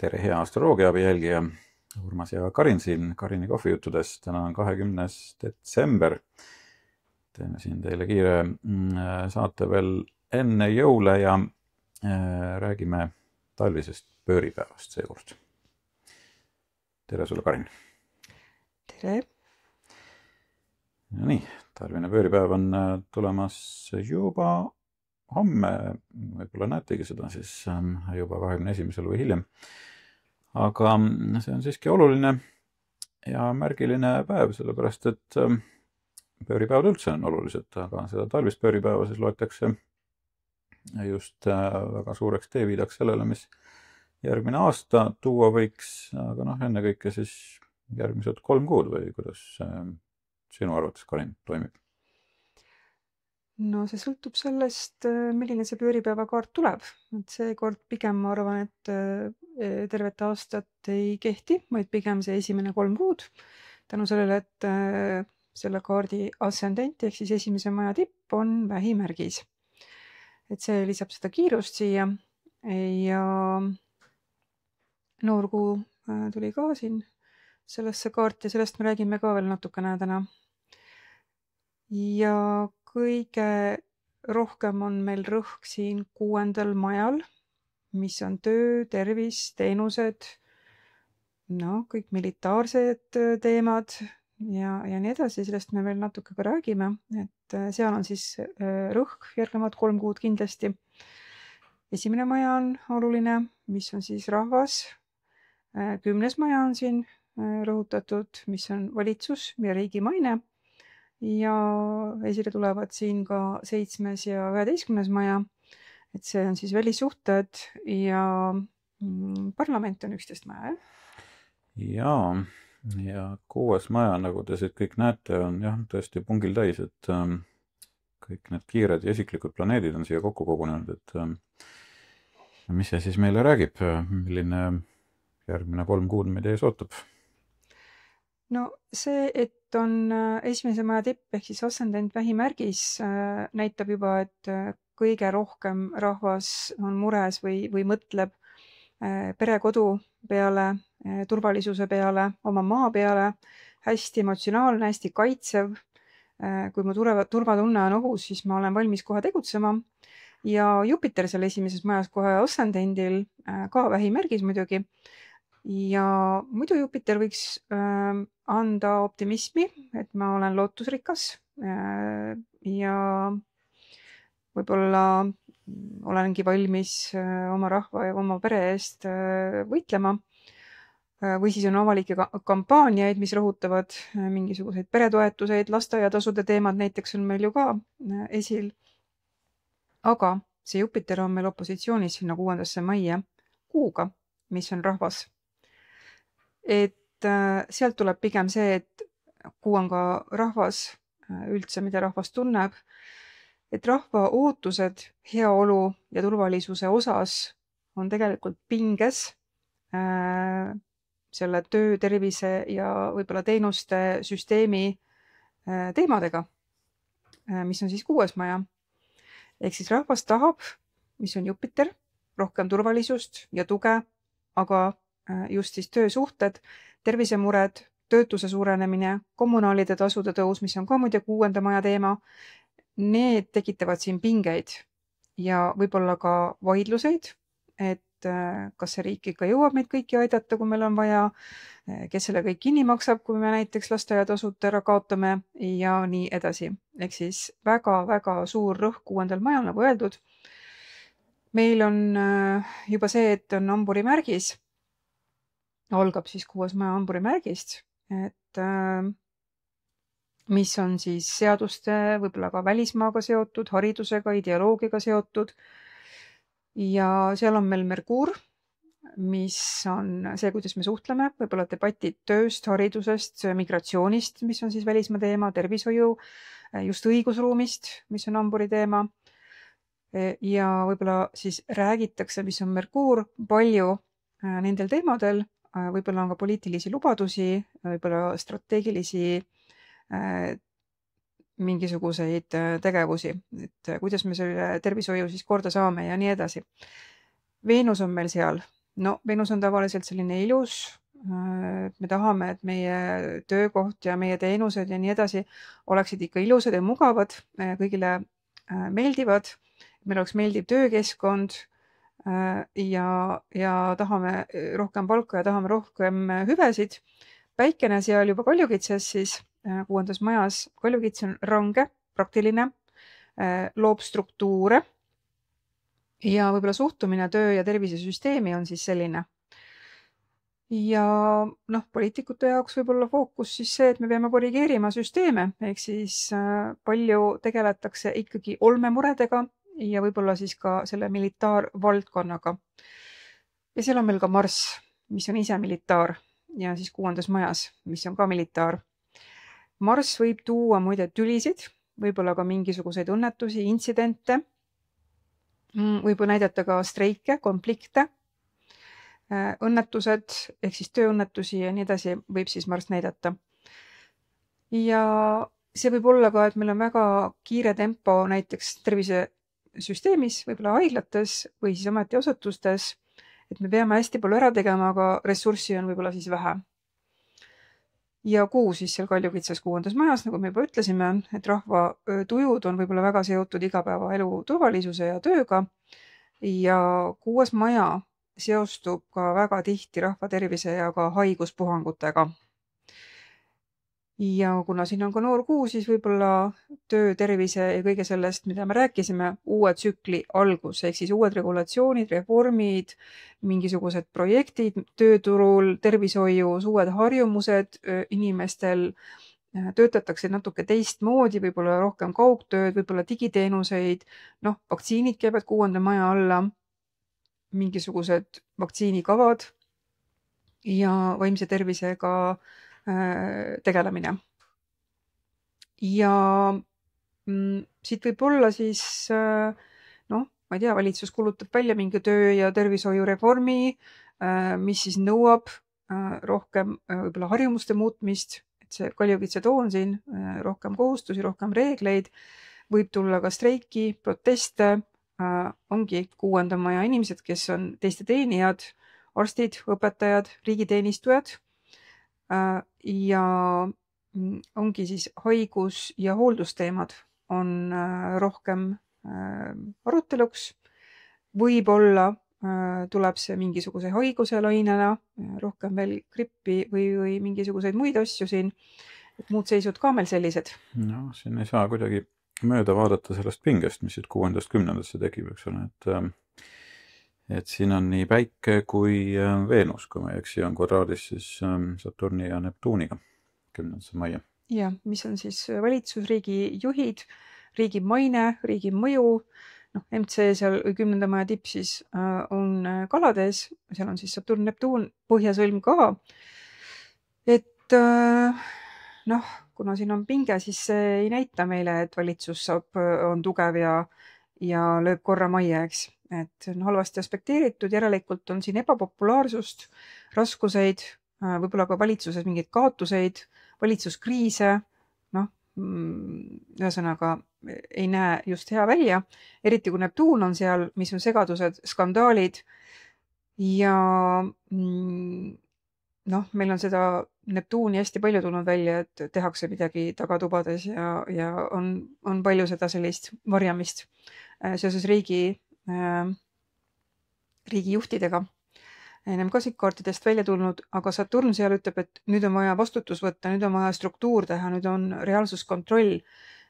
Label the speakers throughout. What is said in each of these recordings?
Speaker 1: Tere, hea astroloogiaabi jälgija. Urmas ja Karin siin Karini kohvijuttudes. Täna on 20. detsember. Teeme siin teile kiire saate veel enne jõule ja räägime talvisest pööripäevast seekord. Tere sulle, Karin.
Speaker 2: Tere.
Speaker 1: No nii, talvine pööripäev on tulemas juba homme, võib-olla näetegi seda siis juba 21. või hiljem. Aga see on siiski oluline ja märgiline päev, sellepärast et pööripäevad üldse on olulised, aga seda talvist pööripäeva siis loetakse just väga suureks teeviidaks sellele, mis järgmine aasta tuua võiks, aga ennekõike siis järgmised 3 kuud või kuidas sinu arvates, Karin, toimib?
Speaker 2: No see sõltub sellest, milline see pööripäevakaart tuleb. Et seekord pigem ma arvan, et tervet aastat ei kehti, vaid pigem see esimene 3 kuud. Tänu sellele, et selle kaardi ascendent ehk siis esimese maja tipp on vähimärgis. Et see lisab seda kiirust siia ja noorkuu tuli ka siin sellesse kaarti ja sellest me räägime ka veel natukene täna. Ja kõige rohkem on meil rõhk siin 6. majal, mis on töö, tervis, teenused, kõik militaarsed teemad ja nii edasi, sellest me veel natuke ka räägime, et seal on siis rõhk järgnevad 3 kuud kindlasti. Esimene maja on oluline, mis on siis rahvas. 10. maja on siin rõhutatud, mis on valitsus ja riigi maine. Ja esile tulevad siin ka 7. ja 11. maja, et see on siis välissuhted ja parlament on 11 maja.
Speaker 1: Ja 6. maja, nagu te siit kõik näete, on tõesti pungil täis, et kõik need kiired ja isiklikud planeedid on siia kokku kogunenud, et mis see siis meile räägib, milline järgmine 3 kuud meid ees ootab?
Speaker 2: No see, et on esimese maja tipp ehk siis ascendent vähimärgis näitab juba, et kõige rohkem rahvas on mures või mõtleb perekodu peale, turvalisuse peale, oma maa peale, hästi emotsionaalne, hästi kaitsev. Kui mu turvatunne on ohus, siis ma olen valmis kohe tegutsema. Ja Jupiter seal esimeses majas kohe ascendendil, ka vähimärgis muidugi. Ja muidu Jupiter võiks anda optimismi, et ma olen lootusrikas ja võib-olla olengi valmis oma rahva ja oma pere eest võitlema. Või siis on avalikke kampaaniaid, mis rõhutavad mingisuguseid peretoetuseid, lasteaiatasude teemad näiteks on meil ju ka esil. Aga see Jupiter on meil opositsioonis sinna 6. majja kuuga, mis on rahvas. Et sealt tuleb pigem see, et kuu on ka rahvas üldse, mida rahvas tunneb, et rahva ootused heaolu ja turvalisuse osas on tegelikult pinges selle töö, tervise ja võib-olla teenuste süsteemi teemadega, mis on siis 6. maja. Ehk siis rahvas tahab, mis on Jupiter, rohkem turvalisust ja tuge, aga just siis töösuhted, tervisemured, töötuse suurenemine, kommunaalide tasude tõus, mis on ka muide 6. maja teema, need tekitavad siin pingeid ja võib-olla ka vaidluseid, et kas see riik ikka jõuab meid kõiki aidata, kui meil on vaja, kes selle kõik kinni maksab, kui me näiteks lasteaiatasud ära kaotame ja nii edasi. Ehk siis väga-väga suur rõhk 6. majal, nagu öeldud. Meil on juba see, et on hamburi märgis, algab siis 6. maja hamburi märgist, et mis on siis seaduste, võib-olla ka välismaaga seotud, haridusega, ideoloogiaga seotud. Ja seal on meil Merkuur, mis on see, kuidas me suhtleme, võib-olla debatid tööst, haridusest, migratsioonist, mis on siis välismaa teema, tervishoiu, just õigusruumist, mis on hamburi teema. Ja võib-olla siis räägitakse, mis on Merkuur, palju nendel teemadel, võib-olla on ka poliitilisi lubadusi, võib-olla strateegilisi mingisuguseid tegevusi, et kuidas me selle tervishoiu siis korda saame ja nii edasi. Veenus on meil seal No Venus on tavaliselt selline ilus, me tahame, et meie töökoht ja meie teenused ja nii edasi oleksid ikka ilusad ja mugavad, kõigile meeldivad, meil oleks meeldiv töökeskkond ja tahame rohkem palka ja tahame rohkem hüvesid. Päikene seal juba Kaljukitses siis 6. majas. Kaljukits on range, praktiline, loob struktuure ja võib-olla suhtumine töö ja tervisesüsteemi on siis selline. Ja poliitikute jaoks võib-olla fookus siis see, et me peame korrigeerima süsteeme, ehk siis palju tegeletakse ikkagi olmemuredega ja võib-olla siis ka selle militaarvaldkonnaga. Ja seal on meil ka Marss, mis on ise militaar ja siis 6. majas, mis on ka militaar. Marss võib tuua muide tülisid, võib-olla ka mingisuguseid õnnetusi, intsidente, võib näidata ka streike, konflikte, õnnetused ehk siis tööõnnetusi ja nii edasi võib siis Marss näidata. Ja see võib olla ka, et meil on väga kiire tempo näiteks tervisesüsteemis, võib-olla haiglates või siis ametiasutustes, et me peame hästi palju ära tegema, aga ressurssi on võib-olla siis vähe. Ja Kuu siis seal Kaljukitses 6. majas, nagu me juba ütlesime, et rahva tujud on võib-olla väga seotud igapäevaelu turvalisuse ja tööga ja 6. maja seostub ka väga tihti rahva tervise ja ka haiguspuhangutega. Ja kuna siin on ka noor Kuu, siis võib-olla töö, tervise ja kõige sellest, mida me rääkisime, uue tsükli algus, ehk siis uued regulatsioonid, reformid, mingisugused projektid tööturul, tervishoius, uued harjumused inimestel, töötatakse natuke teistmoodi, võib-olla rohkem kaugtööd, võib-olla digiteenuseid, vaktsiinid käivad 6. maja alla, mingisugused vaktsiinikavad ja vaimse tervisega tegelemine. Ja siit võib olla siis, ma ei tea, valitsus kuulutab välja mingi töö- ja tervishoiureformi, mis siis nõuab rohkem võib-olla harjumuste muutmist, et see Kaljukitse toon siin, rohkem kohustusi, rohkem reegleid, võib tulla ka streiki, proteste, ongi 6. maja inimesed, kes on teiste teenijad, arstid, õpetajad, riigiteenistujad ja ongi siis haigus- ja hooldusteemad on rohkem aruteluks. Võib-olla tuleb see mingisuguse haiguse lainena, rohkem veel grippi või mingisuguseid muid asju siin. Et muud seisud ka meil sellised.
Speaker 1: Siin ei saa kuidagi mööda vaadata sellest pingest, mis siit 6. 10. tekib, eks ole, et siin on nii Päike kui Veenus, kui ma ei eksi, on kvadraadis siis Saturni ja Neptuuniga 10. maia.
Speaker 2: Ja, mis on siis valitsusriigi juhid, riigi maine, riigi mõju, MC seal 10. maja tipp siis on Kalades, seal on siis Saturn, Neptuun, põhjasõlm ka. Et kuna siin on pinge, siis see ei näita meile, et valitsus on tugev ja lööb korra majja, eks. Et on halvasti aspekteeritud, järelikult on siin ebapopulaarsust, raskuseid, võib-olla ka valitsuses mingeid kaotuseid, valitsuskriise, ühesõnaga ei näe just hea välja, eriti kui Neptuun on seal, mis on segadused, skandaalid ja meil on seda Neptuuni hästi palju tulnud välja, et tehakse midagi tagatubades ja on palju seda sellist varjamist seoses riigijuhtidega. Ennem ka siit kaartidest välja tulnud, aga Saturn seal ütleb, et nüüd on vaja vastutus võtta, nüüd on vaja struktuur teha, nüüd on reaalsuskontroll,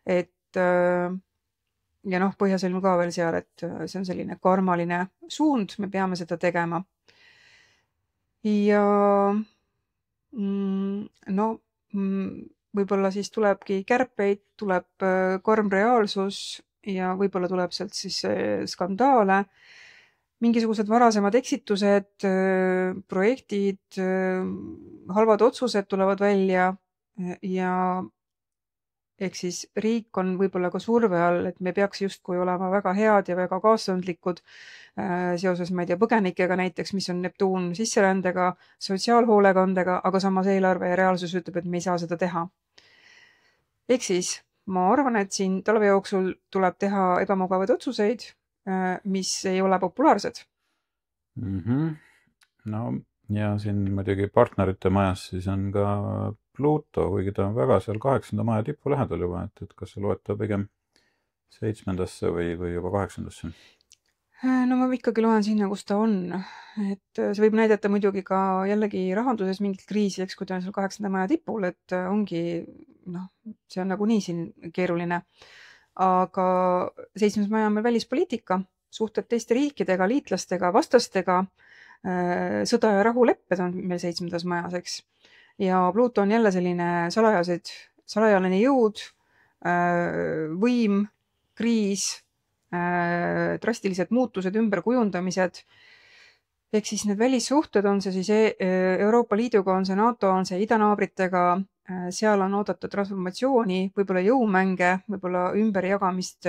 Speaker 2: et ja põhjasõlm ka veel seal, et see on selline karmaline suund, me peame seda tegema. Ja võib-olla siis tulebki kärpeid, tuleb karm reaalsus ja võib-olla tuleb sealt siis skandaale, mingisugused varasemad eksitused, projektid, halvad otsused tulevad välja ja ehk siis riik on võib-olla ka surve all, et me peaks justkui olema väga head ja väga kaastundlikud seoses, ma ei tea, põgenikega näiteks, mis on Neptuun sisserändega, sotsiaalhoolekandega, aga samas eelarve ja reaalsus ütleb, et me ei saa seda teha. Ehk siis ma arvan, et siin talve jooksul tuleb teha ebamugavaid otsuseid, mis ei ole populaarsed.
Speaker 1: no ja siin muidugi partnerite majas siis on ka Pluto, kuigi ta on väga seal 8. maja tipu lähedal juba, et kas sa loed ta pigem 7. või juba 8.
Speaker 2: No ma ikkagi loen sinna, kus ta on. Et see võib näidata muidugi ka jällegi rahanduses mingit kriisi, eks, kui ta on seal 8. maja tipul, et ongi, noh, see on nagunii siin keeruline. Aga 7. maja on meil välispoliitika, suhted teiste riikidega, liitlastega, vastastega, sõda ja rahulepped on meil 7. majas, eks. Ja Pluto on jälle selline salajane jõud, võim, kriis, drastilised muutused, ümberkujundamised. Ehk siis need välissuhted on see siis Euroopa Liiduga, on see NATO, on see idanaabritega, seal on oodatud transformatsiooni, võib-olla jõumänge, võib-olla ümberjagamist,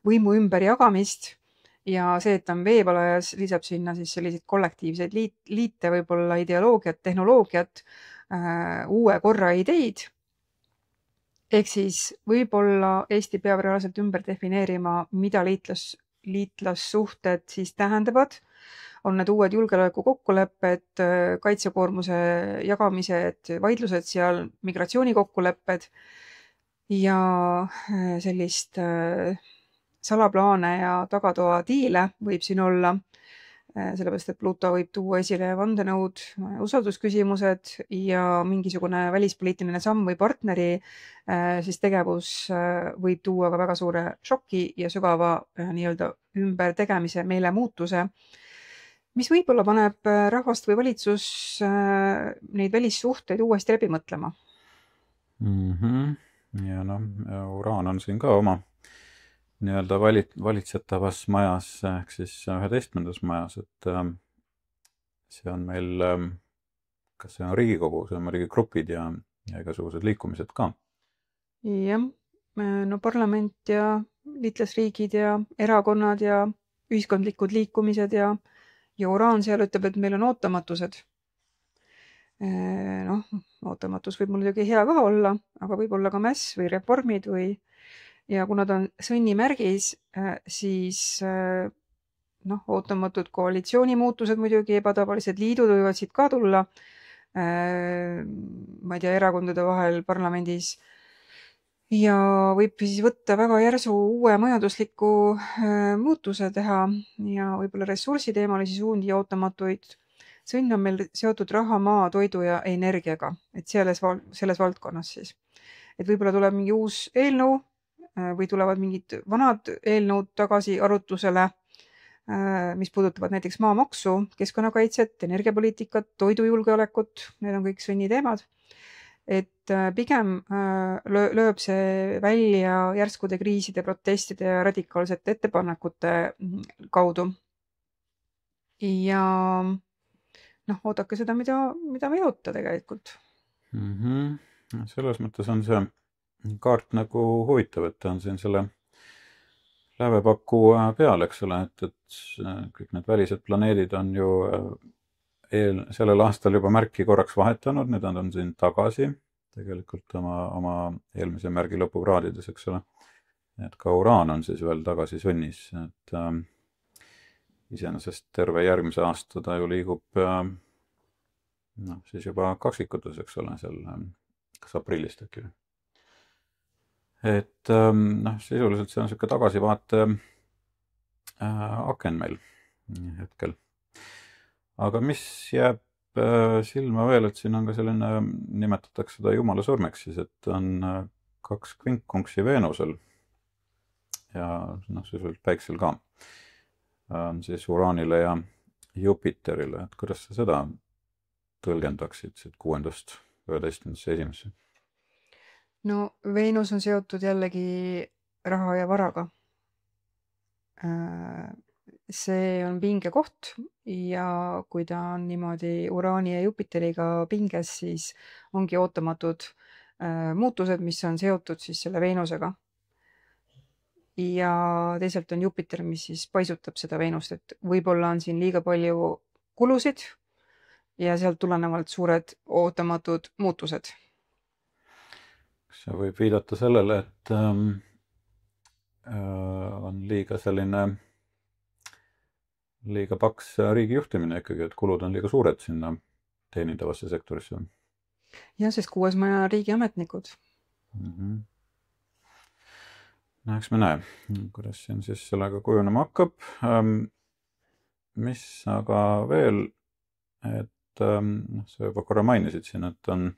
Speaker 2: võimu ümberjagamist ja see, et ta on veepalajas, lisab sinna siis selliseid kollektiivseid liite, võib-olla ideoloogiat, tehnoloogiat, uue korra ideid. Ehk siis võib-olla Eesti peab reaalselt ümber defineerima, mida liitlassuhted siis tähendavad. On need uued julgeoleku kokkulepped, kaitsekoormuse jagamised, vaidlused seal, migratsioonikokkulepped ja sellist salaplaane ja tagatoadiile võib siin olla, sellepärast et Pluto võib tuua esile vandenõud, usaldusküsimused ja mingisugune välispoliitiline samm või partneri siis tegevus võib tuua ka väga suure šoki ja sügava nii-öelda ümbertegemise, meelemuutuse, mis võib-olla paneb rahvast või valitsus neid välissuhteid uuesti läbi mõtlema.
Speaker 1: Ja noh, Uraan on siin ka oma nii-öelda valitsetavas majas, ehk siis 11. majas, et see on meil, kas see on Riigikogu, see on muidugi grupid ja igasugused liikumised ka.
Speaker 2: Jah, no parlament ja liitlasriigid ja erakonnad ja ühiskondlikud liikumised ja Uraan seal ütleb, et meil on ootamatused. Noh, ootamatus võib muidugi hea ka olla, aga võib olla ka mäss või reformid ja kuna ta on sõnnimärgis, siis ootamatud koalitsioonimuutused muidugi, ebatavalised liidud võivad siit ka tulla, ma ei tea, erakondade vahel parlamendis ja võib siis võtta väga järsu uue majandusliku muutuse teha ja võib-olla ressursiteemalisi suundi ja ootamatuid. Sõnn on meil seotud raha, maa, toidu ja energiaga, et selles valdkonnas siis. Et võib-olla tuleb mingi uus eelnõu või tulevad mingid vanad eelnõud tagasi arutlusele, mis puudutavad näiteks maamaksu, keskkonnakaitset, energiapoliitikat, toidujulgeolekut, need on kõik sõnniteemad. Et pigem lööb see välja järskude kriiside, protestide ja radikaalsete ettepanekute kaudu. Ja oodake seda, mida me ei oota tegelikult.
Speaker 1: Selles mõttes on see kaart nagu huvitav, et ta on siin selle lävepaku peal, eks ole, et kõik need välised planeedid on ju sellel aastal juba märki korraks vahetanud, nüüd on siin tagasi tegelikult oma eelmise märgi lõpukraadides, eks ole. Et ka Uraan on siis veel tagasi sõnnis, et iseenesest terve järgmise aasta ta ju liigub siis juba kaksikutes, eks ole, seal kas aprillist äkki. Et sisuliselt see on selline tagasivaate aken meil hetkel. Aga mis jääb silma veel, et siin on ka selline, nimetatakse seda jumala surmeks siis, et on 2 kvinkkunksi Veenusel ja sisuliselt Päiksel ka on siis Uraanile ja Jupiterile, et kuidas sa seda tõlgendaksid siit 6. 11. 1.
Speaker 2: No Veenus on seotud jällegi raha ja varaga. See on pingekoht ja kui ta on niimoodi Uraani ja Jupiteriga pinges, siis ongi ootamatud muutused, mis on seotud siis selle Veenusega. Ja teisalt on Jupiter, mis siis paisutab seda Veenust, et võib-olla on siin liiga palju kulusid ja sealt tulenevalt suured ootamatud muutused.
Speaker 1: See võib viidata sellele, et on liiga selline liiga paks riigi juhtimine ikkagi, et kulud on liiga suured sinna teenindavasse sektorisse.
Speaker 2: Jah, sest 6. maja riigiametnikud.
Speaker 1: No eks me näe, kuidas siin siis sellega kujunema hakkab. Mis aga veel, et sa juba korra mainisid siin, et on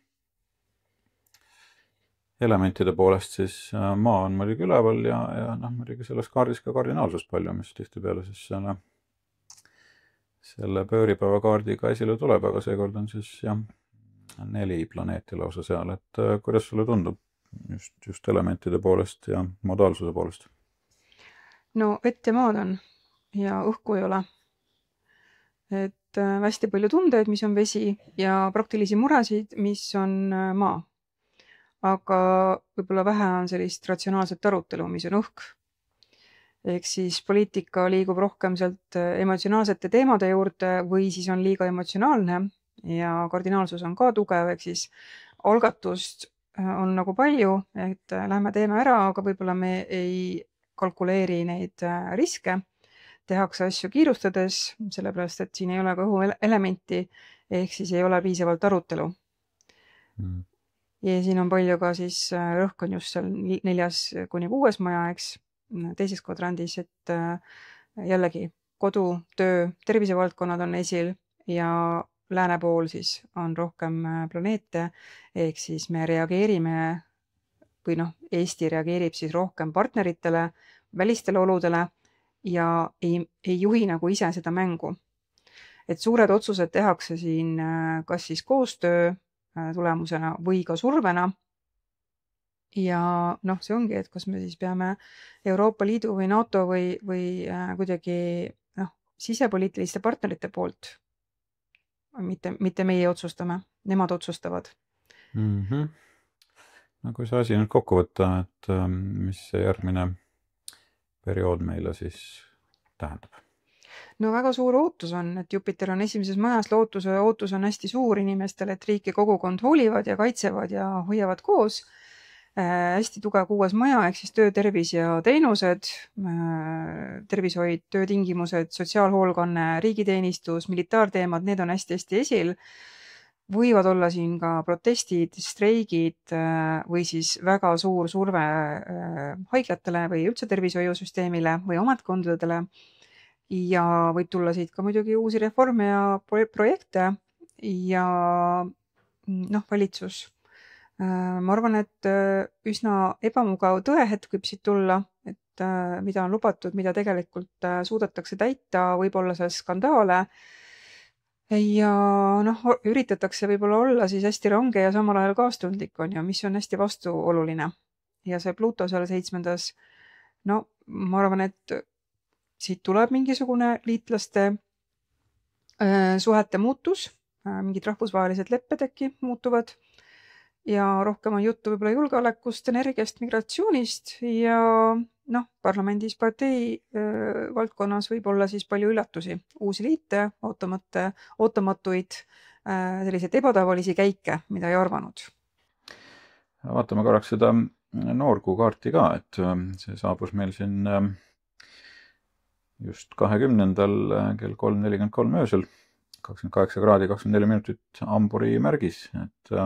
Speaker 1: elementide poolest siis maa on muidugi üleval ja muidugi selles kaardis ka kardinaalsust palju, mis tihtipeale siis selle pööripäeva kaardiga esile tuleb, aga seekord on siis 4 planeeti lausa seal, et kuidas sulle tundub just elementide poolest ja modaalsuse poolest?
Speaker 2: No vett ja maad on ja õhku ei ole. Et hästi palju tundeid, mis on vesi ja praktilisi muresid, mis on maa. Aga võib-olla vähe on sellist ratsionaalset arutelu, mis on õhk. Ehk siis poliitika liigub rohkem sealt emotsionaalsete teemade juurde või siis on liiga emotsionaalne ja kardinaalsus on ka tugev, ehk siis algatust on nagu palju, et lähme teeme ära, aga võib-olla me ei kalkuleeri neid riske. Tehakse asju kiirustades, sellepärast, et siin ei ole ka õhuelementi, ehk siis ei ole piisavalt arutelu. Ja siin on palju ka siis rõhk on just seal 4. kuni 6. maja, eks, teises kvadrandis, et jällegi kodu, töö, tervisevaldkonnad on esil ja lääne pool siis on rohkem planeete, ehk siis me reageerime või Eesti reageerib siis rohkem partneritele, välistele oludele ja ei juhi nagu ise seda mängu. Et suured otsused tehakse siin kas siis koostöö tulemusena või ka survena. Ja see ongi, et kas me siis peame Euroopa Liidu või NATO või kuidagi sisepoliitiliste partnerite poolt. Mitte meie otsustame, nemad otsustavad.
Speaker 1: No kui see asi nüüd kokku võtta, et mis see järgmine periood meile siis tähendab?
Speaker 2: No väga suur ootus on, et Jupiter on 1. majas, ootus on hästi suur inimestel, et riik ja kogukond hoolivad ja kaitsevad ja hoiavad koos. Hästi tugev 6. maja, ehk siis töö, tervis ja teenused, tervishoid, töötingimused, sotsiaalhoolkanne, riigiteenistus, militaarteemad, need on hästi-hästi esil. Võivad olla siin ka protestid, streigid või siis väga suur surve haiglatele või üldse tervishoiusüsteemile või ametkondadele. Ja võib tulla siit ka muidugi uusi reforme ja projekte ja valitsus. Ma arvan, et üsna ebamugav tõehetk võib siit tulla, et mida on lubatud, mida tegelikult suudetakse täita, võib-olla seal skandaale ja üritatakse võib-olla olla siis hästi range ja samal ajal kaastundlik on ju, mis on hästi vastuoluline. Ja see Pluto seal 7. Ma arvan, et siit tuleb mingisugune liitlaste suhete muutus, mingid rahvusvahelised lepped äkki muutuvad ja rohkem on juttu võib-olla julgeolekust, energiast, migratsioonist ja parlamendis partei valdkonnas võib olla siis palju üllatusi, uusi liite, ootamatuid, selliseid ebatavalisi käike, mida ei arvanud.
Speaker 1: Vaatame korraks seda noorkuu kaarti ka, et see saabus meil siin just 20. kell 3:43 öösel, 28 kraadi 24 minutit Hamburi märgis, et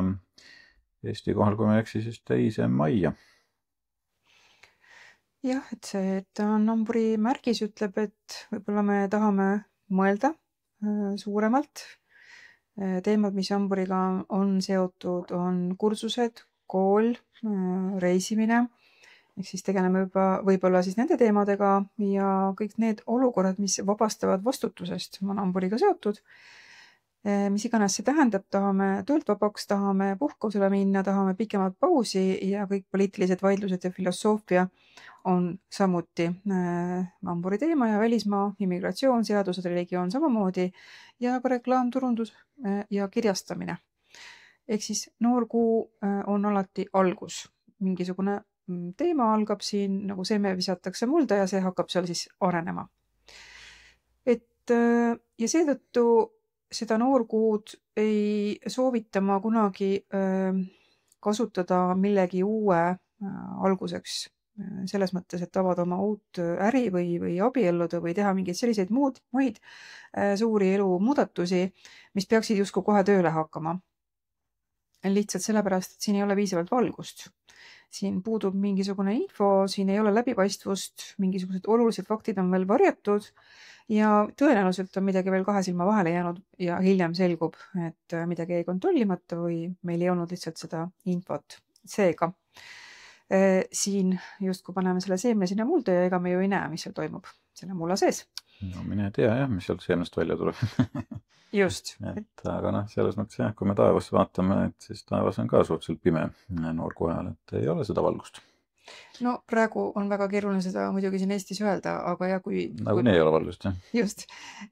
Speaker 1: Eesti kohal, kui ma ei eksi, siis 2. maia.
Speaker 2: Jah, et see, et on Hamburi märgis, ütleb, et võib-olla me tahame mõelda suuremalt. Teemad, mis Hamburiga on seotud, on kursused, kool, reisimine. Ehk siis tegeleme võib-olla siis nende teemadega ja kõik need olukorrad, mis vabastavad vastutusest, on Hamburiga seotud. Mis iganes see tähendab, tahame töölt vabaks, tahame puhkusele minna, tahame pikemat pausi ja kõik poliitilised vaidlused ja filosoofia on samuti Hamburi teema ja välismaa, immigratsioon, seadused, religioon samamoodi ja ka reklaam, turundus ja kirjastamine. Ehk siis noorkuu on alati algus. Mingisugune teema algab siin, nagu seme visatakse mulda ja see hakkab seal siis arenema. Ja seetõttu seda noorkuud ei soovita ma kunagi kasutada millegi uue alguseks selles mõttes, et avada oma uut äri või abielluda või teha mingeid selliseid muid suuri elumuudatusi, mis peaksid justkui kohe tööle hakkama. Lihtsalt sellepärast, et siin ei ole piisavalt valgust. Siin puudub mingisugune info, siin ei ole läbipaistvust, mingisugused olulised faktid on veel varjatud ja tõenäoliselt on midagi veel kahe silma vahele jäänud ja hiljem selgub, et midagi jäi kontrollimata või meil ei olnud lihtsalt seda infot. Seega, siin justkui paneme selle seemne sinna mulda ja ega me ju ei näe, mis seal toimub selle mulla sees.
Speaker 1: No mine tea jah, mis sealt seemnest välja tuleb.
Speaker 2: Just.
Speaker 1: Aga selles mõttes jah, kui me taevasse vaatame, et siis taevas on ka suhteliselt pime noorgu ajal, et ei ole seda valgust.
Speaker 2: No praegu on väga keeruline seda muidugi siin Eestis öelda, aga ja kui...
Speaker 1: Nagunii ei ole valgust, jah.
Speaker 2: Just,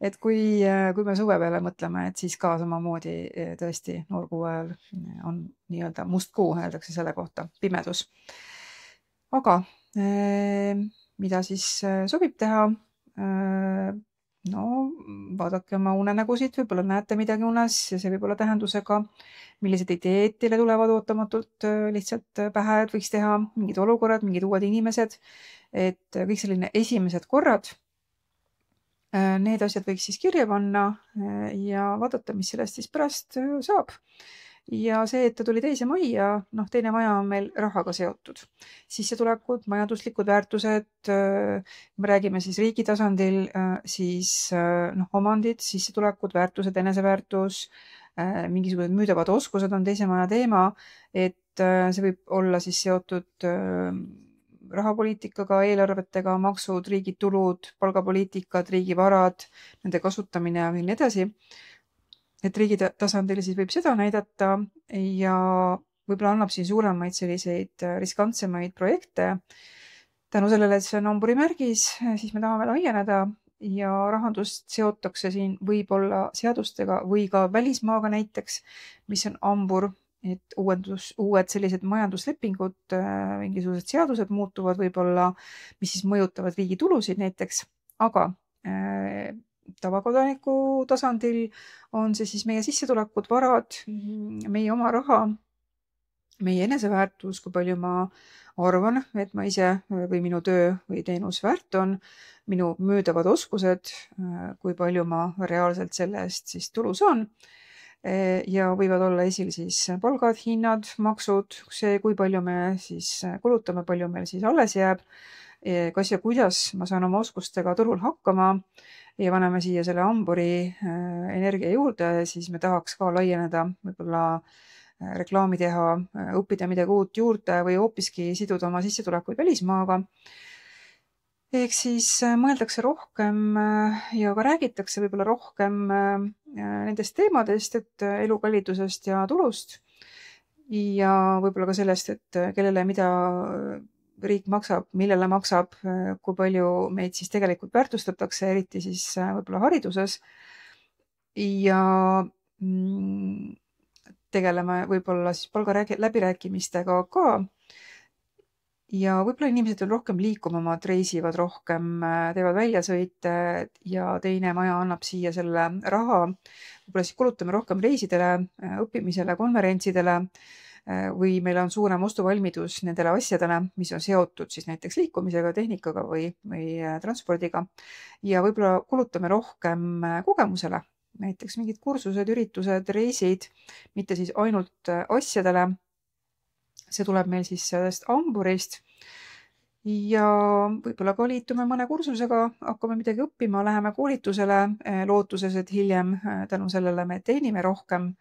Speaker 2: et kui me suve peale mõtleme, et siis ka samamoodi tõesti noorgu ajal on nii-öelda must kuu, öeldakse selle kohta, pimedus. Aga mida siis sobib teha? No vaadake oma unenägusid, võib-olla näete midagi unes ja see võib olla tähendusega, millised ideed teile tulevad ootamatult lihtsalt pähe, et võiks teha mingid olukorrad, mingid uued inimesed, et kõik selline esimesed korrad, need asjad võiks siis kirja panna ja vaadata, mis sellest siis pärast saab. Ja see, et ta tuli teise majja, teine maja on meil rahaga seotud. Sissetulekud, majanduslikud väärtused, me räägime siis riigi tasandil, siis omandid, sissetulekud, väärtused, eneseväärtus, mingisugused müüdavad oskused on teise maja teema, et see võib olla siis seotud rahapoliitikaga, eelarvetega, maksud, riigi tulud, palgapoliitikad, riigi varad, nende kasutamine ja nii edasi. Et riigi tasandil siis võib seda näidata ja võib-olla annab siin suuremaid selliseid riskantsemaid projekte. Tänu sellele, et see on amburimärgis, siis me tahame laieneda ja rahandust seotakse siin võib-olla seadustega või ka välismaaga näiteks, mis on ambur, et uued sellised majanduslepingud, mingisugused seadused muutuvad võib-olla, mis siis mõjutavad riigi tulusid näiteks, aga tavakodaniku tasandil on see siis meie sissetulekud, varad, meie oma raha, meie eneseväärtus, kui palju ma arvan, et ma ise või minu töö või teenus väärt on, minu müüdavad oskused, kui palju ma reaalselt selle eest siis tulu saan ja võivad olla esil siis palgad, hinnad, maksud, see, kui palju me siis kulutame, palju meil siis alles jääb, kas ja kuidas ma saan oma oskustega turul hakkama ja paneme siia selle amburi energia juurde, siis me tahaks ka laieneda, võib-olla reklaami teha, õppida midagi uut juurde või hoopiski siduda oma sissetulekuid välismaaga. Ehk siis mõeldakse rohkem ja ka räägitakse võib-olla rohkem nendest teemadest, et elukallidusest ja tulust ja võib-olla ka sellest, et kellele mida riik maksab, millele maksab, kui palju meid siis tegelikult väärtustatakse, eriti siis võib-olla hariduses ja tegeleme võib-olla siis palgaläbirääkimistega ka ja võib-olla inimesed on rohkem liikumamad, reisivad rohkem, teevad väljasõite ja teine maja annab siia selle raha, võib-olla siis kulutame rohkem reisidele, õppimisele, konverentsidele või meil on suurem ostuvalmidus nendele asjadele, mis on seotud siis näiteks liikumisega, tehnikaga või transpordiga ja võib-olla kulutame rohkem kogemusele, näiteks mingid kursused, üritused, reisid, mitte siis ainult asjadele. See tuleb meil siis sellest amburist ja võib-olla ka liitume mõne kursusega, hakkame midagi õppima, läheme koolitusele lootuses, et hiljem tänu sellele me teenime rohkem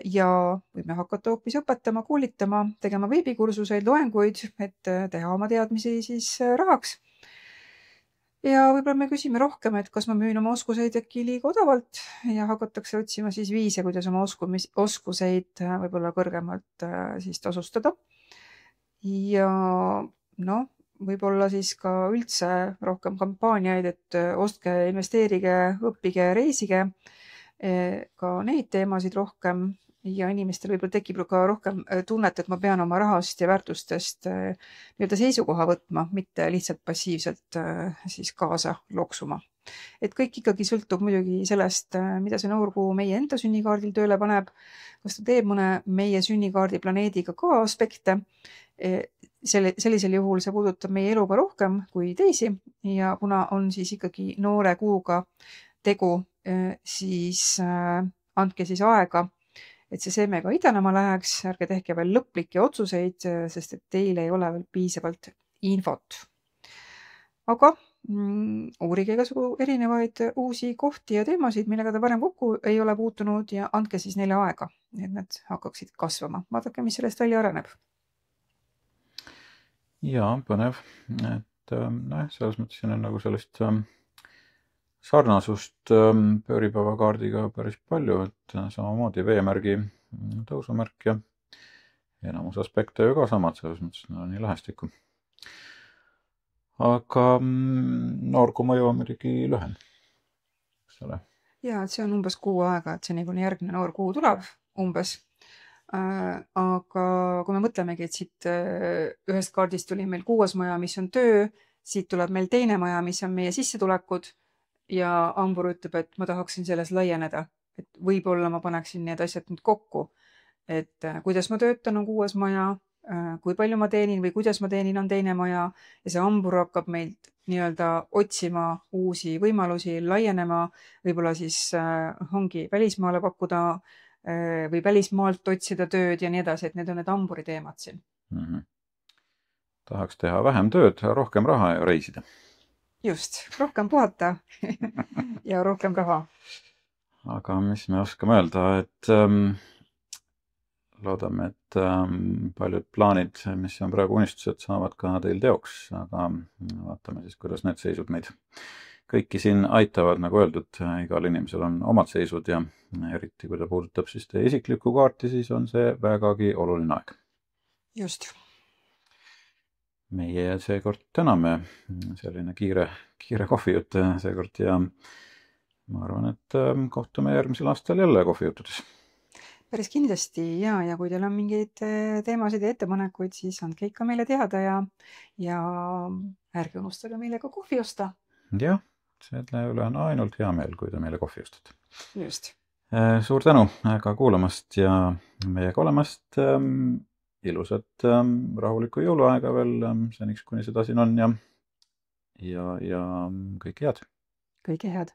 Speaker 2: ja võime hakata hoopis õpetama, koolitama, tegema veebikursuseid, loenguid, et teha oma teadmisi siis rahaks. Ja võib-olla me küsime rohkem, et kas ma müün oma oskuseid äkki liiga odavalt ja hakatakse otsima siis viise, kuidas oma oskuseid võib-olla kõrgemalt siis tasustada. Ja võib-olla siis ka üldse rohkem kampaaniaid, et ostke, investeerige, õppige, reisige, ka neid teemasid rohkem ja inimestel võib-olla tekib ka rohkem tunnet, et ma pean oma rahast ja väärtustest nii-öelda seisukoha võtma, mitte lihtsalt passiivselt siis kaasa loksuma. Et kõik ikkagi sõltub muidugi sellest, mida see noorkuu meie enda sünnikaardil tööle paneb, kas ta teeb mõne meie sünnikaardi planeediga ka aspekte. sellisel juhul see puudutab meie elu ka rohkem kui teisi ja kuna on siis ikkagi noore kuuga tegu, siis andke siis aega, et see seeme ka idanema läheks, ärge tehke veel lõplikke otsuseid, sest et teil ei ole veel piisavalt infot. Aga uurige igasugu erinevaid uusi kohti ja teemasid, millega te varem kokku ei ole puutunud ja andke siis neile aega, et nad hakkaksid kasvama. Vaadake, mis sellest välja areneb.
Speaker 1: Ja, põnev. Et selles mõttes siin on nagu sellist sarnasust pööripäevakaardiga päris palju, et samamoodi veemärgi tõusumärk ja enamus aspekte ju ka samad, selles mõttes on nii lähestikku. Aga noorku mõju on muidugi lühem.
Speaker 2: Ja, et see on umbes kuu aega, et seni kuni järgmine noor kuu tuleb umbes. Aga kui me mõtlemegi, et siit ühest kaardist tuli meil 6. maja, mis on töö, siit tuleb meil 2. maja, mis on meie sissetulekud ja hambur ütleb, et ma tahaksin selles laieneda, et võib-olla ma paneksin need asjad nüüd kokku, et kuidas ma töötan on 6. maja, kui palju ma teenin või kuidas ma teenin on 2. maja ja see hambur hakkab meilt nii-öelda otsima uusi võimalusi, laienema, võib-olla siis ongi välismaale pakkuda või välismaalt otsida tööd ja nii edasi, et need on need hamburi teemad siin.
Speaker 1: Tahaks teha vähem tööd, rohkem raha ja reisida.
Speaker 2: Just, rohkem puhata ja rohkem raha.
Speaker 1: Aga mis me oskame öelda, et loodame, et paljud plaanid, mis on praegu unistused, saavad ka teil teoks, aga vaatame siis, kuidas need seisud meid kõiki siin aitavad, nagu öeldud, igal inimesel on omad seisud ja eriti kui ta puudutab siis teie isiklikku kaarti, siis on see vägagi oluline aeg.
Speaker 2: Just.
Speaker 1: Meie seekord täname, selline kiire kohvijutt seekord ja ma arvan, et kohtume järgmisel aastal jälle kohvijuttudes.
Speaker 2: Päris kindlasti ja kui teil on mingeid teemasid ja ettepanekuid, siis andke ikka meile teada ja ärge unustage meile ka kohvi osta.
Speaker 1: Jah, selle üle on ainult hea meel, kui te meile kohvi ostate.
Speaker 2: Just.
Speaker 1: Suur tänu ka kuulamast ja meiega olemast. Ilusat rahulikku jõuluaega veel seniks, kuni seda siin on ja kõike head.
Speaker 2: Kõike head.